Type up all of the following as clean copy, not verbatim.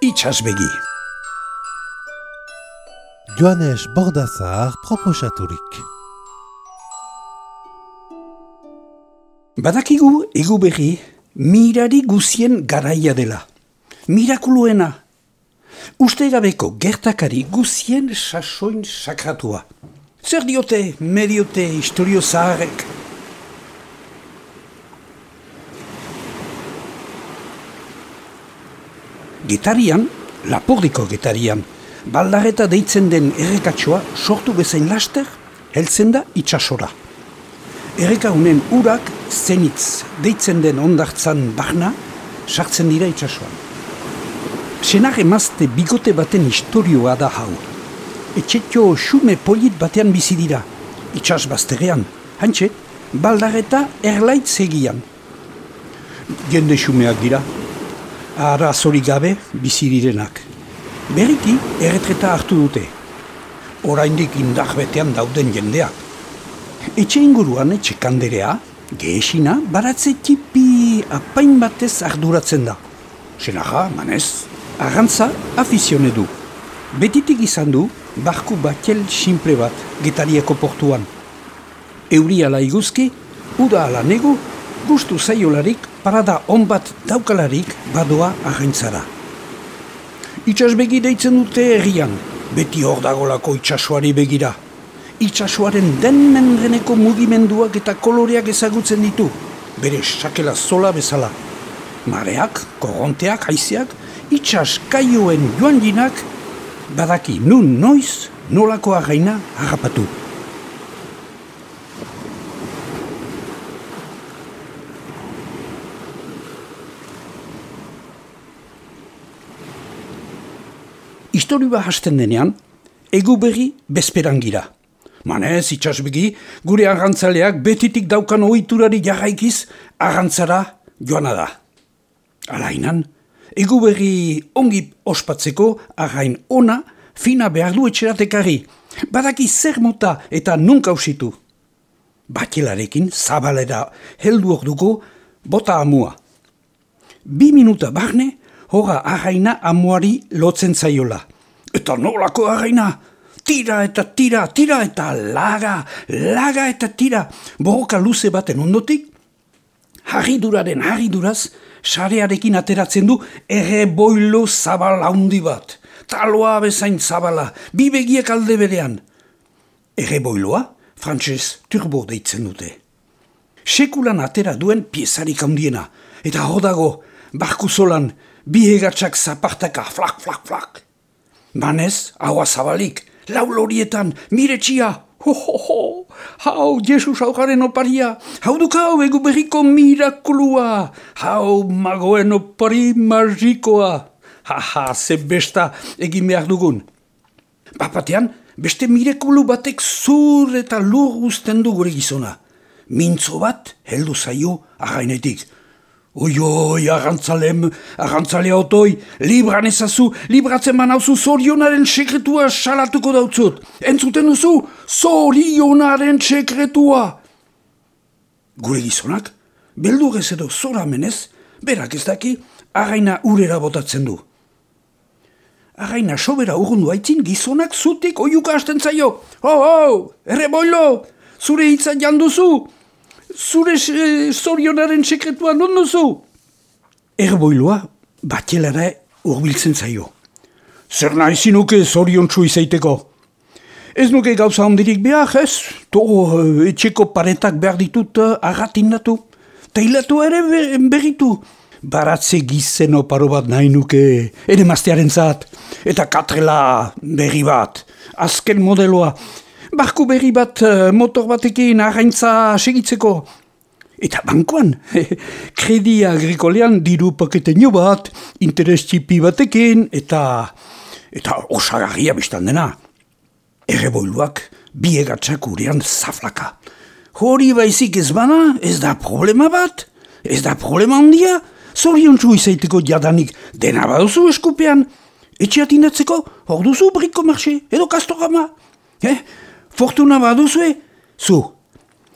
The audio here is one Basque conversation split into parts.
Itsasbegi. Joanes Bordazar proposaturik. Badakigu egu berri mirari guzien garaia dela. Mirakuluena. Ustegabeko gertakari guzien sasoin sakratua. Zer diote mediote historio zaharrek? Getarian, Lapordiko getarian, baldareta deitzen den errekatxoa sortu bezain laster, heltzen da itsasora. Erreka honen urak zenitz deitzen den ondartzan barna sartzen dira itsasoan. Senar emazte bigote baten historioa da hau. Etxetxo xume polit batean bizi dira, itsas bazterrean, hantxe, baldareta erlaitz egian. Jende xumeak dira. Arazori gabe bizi direnak. Berriki erretreta hartu dute. Oraindik indar betean dauden jendeak. Etxe inguruan etxe kanderea, gehesina, baratze tipi apain batez arduratzen da. Senarra, manez, arrantza afizione du. Betitik izan du, barku batel simple bat, Getariako portuan. Euri ala iguzki, uda ala nego, gustu zaiolarik, parada on bat daukalarik badoa arraintzara. Itsasbegi deitzen dute herrian, beti hor dagolako itsasoari begira. Itsasoaren denmenreneko mugimenduak eta koloreak ezagutzen ditu, bere sakela zola bezala. Mareak, korronteak, haizeak, itsas kaioen joan jinak, badaki nun noiz, nolako arraina harrapatu. Historioa hasten denean, egu berri bezperan gira. Manez, itsasbegi, gure arrantzaleak betitik daukan ohiturari jarraikiz arrantzara joana da. Alainan, egu berri ongi ospatzeko arrain ona fina behar du etxeratekari. Badaki zer mota eta nunka usitu. Batelarekin zabalera heldu orduko bota amua. 2 minuta barne, hora arraina amuari lotzen zaiola. Eta nolako arraina? Tira eta tira, tira eta laga eta tira. Borroka luze baten ondotik, harriduraz, sarearekin ateratzen du erreboilo zabala handi bat. Taloa bezain zabala, 2 begiek alde berean. Erreboiloa, frantses turbo deitzen dute. Sekulan atera duen piezarik handiena. Eta hor dago, barku zolan, 2 hegatsak zapartaka, flak. Manez, haua zabalik, lau lorietan, miretxia, hau Jesus aukaren oparia, hau dukau egu berriko mirakulua, hau magoen opari magikoa, ze besta egin behar dugun. Bapatean, beste mirakulu batek zur eta lur guzten du gure gizona. Mintzo bat heldu zaio arrainetik. Oi, arrantzale otoi, libran ezazu, libratzen banauzu zorionaren sekretua salatuko dautzut. Entzuten duzu, zorionaren sekretua. Gure gizonak, beldurrez edo zora menez, berak ez daki, arraina urera botatzen du. Arraina sobera urrundu haitzin gizonak zutik oiuka hasten zaio. Erreboilo, zure hitza janduzu. Zure zorionaren sekretua non duzu? Erboiloa batelara urbiltzen zaio. Zer nahi zinuke zoriontsu izaiteko? Ez nuke gauza handirik behar, ez? Etxeko paretak behar ditut agatindatu. Tailatu ere berritu. Baratze gizen oparo bat nahi nuke, ere maztearen zat. Eta katrela berri bat. Azken modeloa. Barku berri bat motor batekin arraintza segitzeko. Eta bankoan, kredi agrikolean diru paketeño bat, interes txipi batekin, eta osagarria biztan dena. Erreboiluak 2 hegatsak urean zaflaka. Hori baizik ez bana, ez da problema bat, ez da problema handia, zoriontsu izaiteko jadanik dena baduzu eskupean. Etxe atindatzeko, hor duzu briko marxe, edo kastorama. Fortuna baduzue, zu,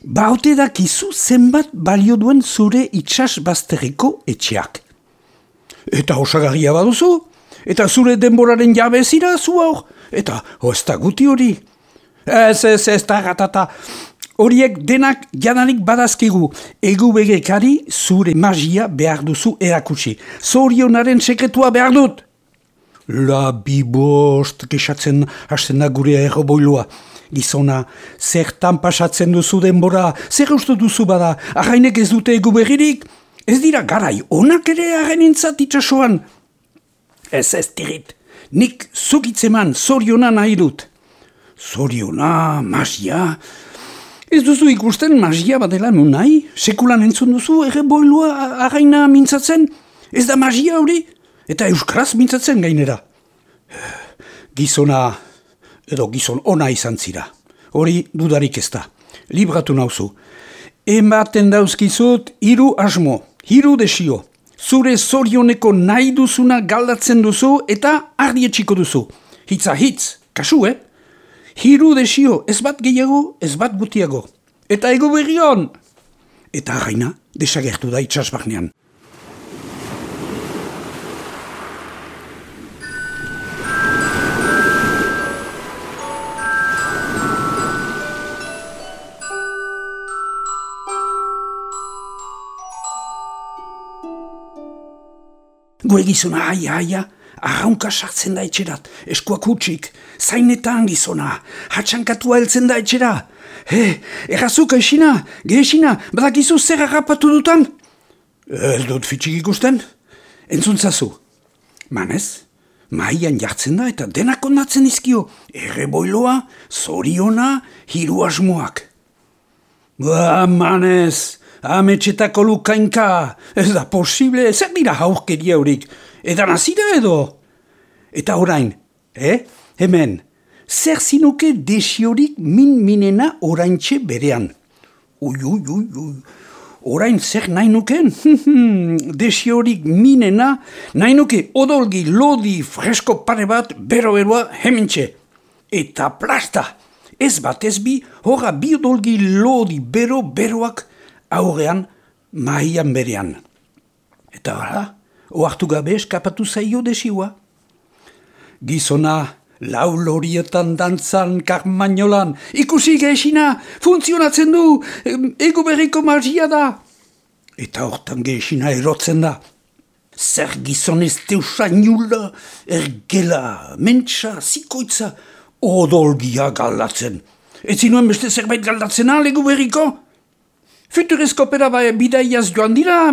baute dakizu zenbat balio duen zure itsas bazterreko etxeak. Eta osagarria baduzu, Eta zure denboraren jabe zira zu hor? Eta, ez da guti hori. Ez da gatata. Horiek denak jadanik badazkigu. Egu begekari zure magia behar duzu erakutsi. Zorionaren sekretua behar dut. La bibost, kexatzen hasten da gure erroboilua. Gizona, zertan pasatzen duzu denbora, zer uste duzu bada, arrainek ez dute egu berririk? Ez dira garai, onak ere arrainintzat itxasoan. Ez tirit, nik zukitzeman zoriona nahi dut. Zoriona, magia... Ez duzu ikusten magia badela nun nahi? Sekulan entzun duzu erreboilua arraina mintzatzen? Ez da magia hori? Eta euskaraz mintzatzen gainera. Gizona, edo gizon ona izan zira. Hori dudarik ez da. Libratu nauzu. Ematen dauzkizut 3 asmo, 3 desio. Zure zorioneko nahi duzuna galdatzen duzu eta ardietxiko duzu. Hitza hitz, kasu, 3 desio, ez bat gehiago, ez bat gutiago. Eta ego berrion! Eta arraina, desagertu da itxasbarnean. Gure gizona, aia, arraunka sartzen da etxerat, eskuak hutsik, zainetan gizona, hatxankatua heltzen da etxera. Errazuk eixina, gehesina, badakizu zer harrapatu dutan? Ez dut fitxik ikusten? Entzuntzazu. Manez, maian jartzen da eta denak ondatzen izkio. Erreboiloa, zoriona, 3 asmoak. Manez, ametxetako lukainka, ez da posible, zer dira haurkeria horik, edan azira edo? Eta orain, hemen, zer zinuke desiorik minena oraintxe berean. Orain zer nahi nuken? Desiorik minena, nahi nuke odolgi lodi fresko pare bat bero-beroa hementxe. Eta plasta, ez bat ez bi, horra bi odolgi lodi bero-beroak aurrean mahian berean. Eta gara, ohartu gabe eskapatu zaio desioa. Gizona, lau lorietan dantzan karmainolan, ikusi gehesina, funtzionatzen du, ego berriko magia da. Eta hortan gehesina erotzen da. Zer gizon ez teusainula, ergela, mentsa, zikoitza, odolgia galdatzen. Ez zinuen beste zerbait galdatzena, ego berriko? Futurezko opera bidaiaz joan dira,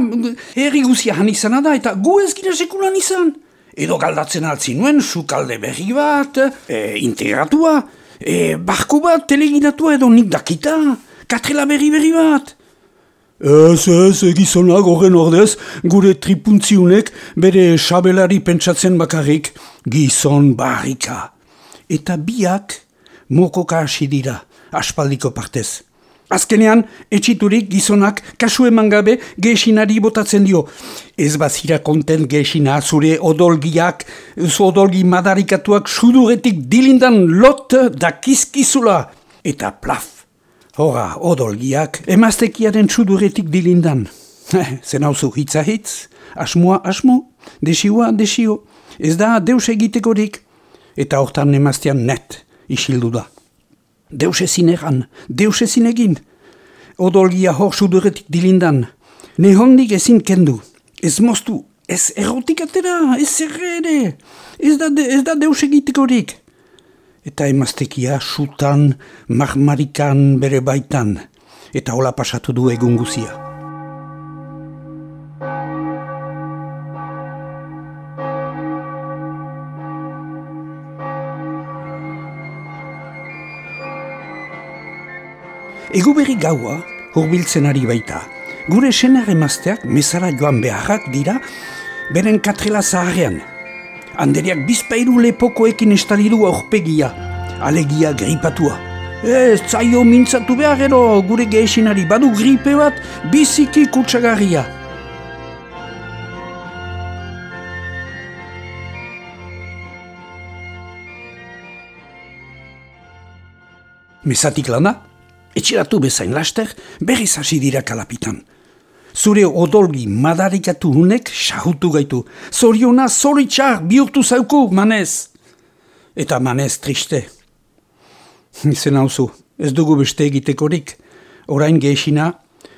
herri guzia han izana da, eta gu ez gira sekulan izan. Edo galdatzen altzin nuen, sukalde berri bat, integratua, barku bat, teleginatua edo nik dakita, katrela berri bat. Ez, gizonak horren ordez, gure tripuntziunek bere sabelari pentsatzen bakarrik, gizon barrika. Eta biak mokoka hasi dira, aspaldiko partez. Azkenean, etxiturik gizonak kasu eman gabe gehesinari botatzen dio. Ez bazira kontent gehesina zure odolgiak, odolgi madarikatuak suduretik dilindan lot dakizkizula. Eta plaf, horra odolgiak emaztekiaren suduretik dilindan. Zen hauzu hitza hitz, asmoa asmo, desioa desio. Ez da deus egitekorik. Eta hortan emaztean net isildu da. Deus ezin egan, deus ezin egin. Odolgia hor suduretik dilindan. Nehondik ezin kendu. Ez moztu, ez errotik atera, ez erre. Ez da deus egitekorik. Eta emaztekia sutan, marmarikan bere baitan. Eta hola pasatu du egun guzia. Ego berri gaua hurbiltzen ari baita. Gure senar emazteak mezara joan beharrak dira beren katrela zaharrean. Handeriak bizpairu lepokoekin estalidu aurpegia, alegia gripatua. Ez zaio mintzatu behar ero gure gehesinari badu gripe bat biziki kutsagarria. Mezatik lana? Etxeratu bezain laster, berriz hasi dira kalapitan. zure odolgi madarikatu hunek sahutu gaitu. Zoriona zoritxar bihurtu zauku, manez. Eta manez triste. Izen hauzu, ez dugu beste egitekorik. Orain gehixina,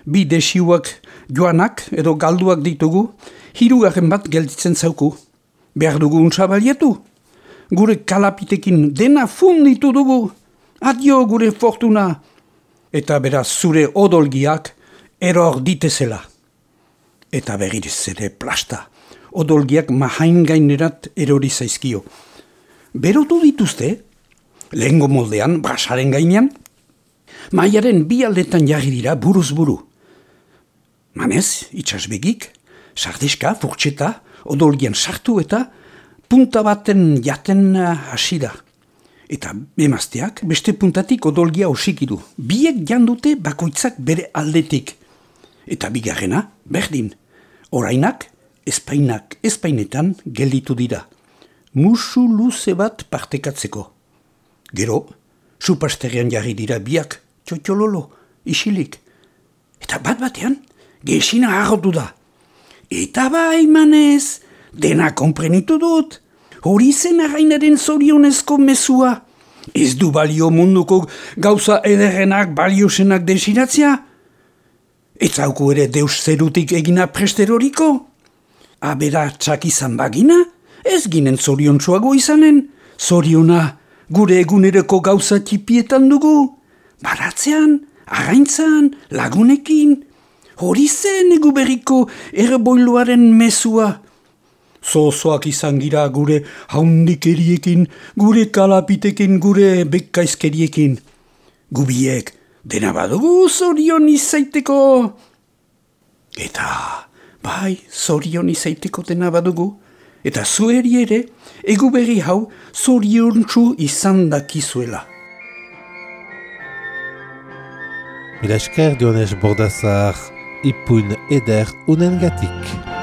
bi desiuak joanak edo galduak ditugu, 3 bat gelditzen zauku. Behar dugu untsa balietu. Gure kalapitekin dena funditu dugu. Adio gure fortuna. Eta beraz zure odolgiak eror ditezela. Eta berriz ere plasta. Odolgiak mahain gainerat erori zaizkio. Berotu dituzte, lehengo moldean, brasaren gainean, maiaren 2 aldetan jarri dira buruz buru. Manez, itxasbegik, sardeska, furtxeta, odolgian sartu eta punta baten jaten hasi da. Eta emazteak beste puntatik odolgia osikidu. Biek jandute bakoitzak bere aldetik. Eta bigarrena, berdin. Orainak, espainetan gelditu dira. Musu luze bat partekatzeko. Gero, supasterrean jarri dira biak, txotxololo, isilik. Eta bat-batean, gehixina harrotu da. Eta bai, manez, dena konprenitu dut. Hori zen arrainaren zorionezko mezua. Ez du balio munduko gauza ederrenak baliosenak desiratzea? Ez hauku ere deus zerutik egina presteroriko? Abera txak izan bagina? Ez ginen zoriontsuago izanen. Zoriona gure eguneroko gauza txipietan dugu. Baratzean, arraintzan, lagunekin. Hori zen egu berriko erboiluaren mezua. Zozoak izan gira gure haundikeriekin, gure kalapitekin, gure bekkaizkeriekin. Gubiek dena badugu zorion izaiteko. Eta, bai, zorion izaiteko dena badugu. Eta zueri ere, egu berri hau zoriontsu izan dakizuela. Mila esker Joanes Bordazar, ipuin eder unengatik.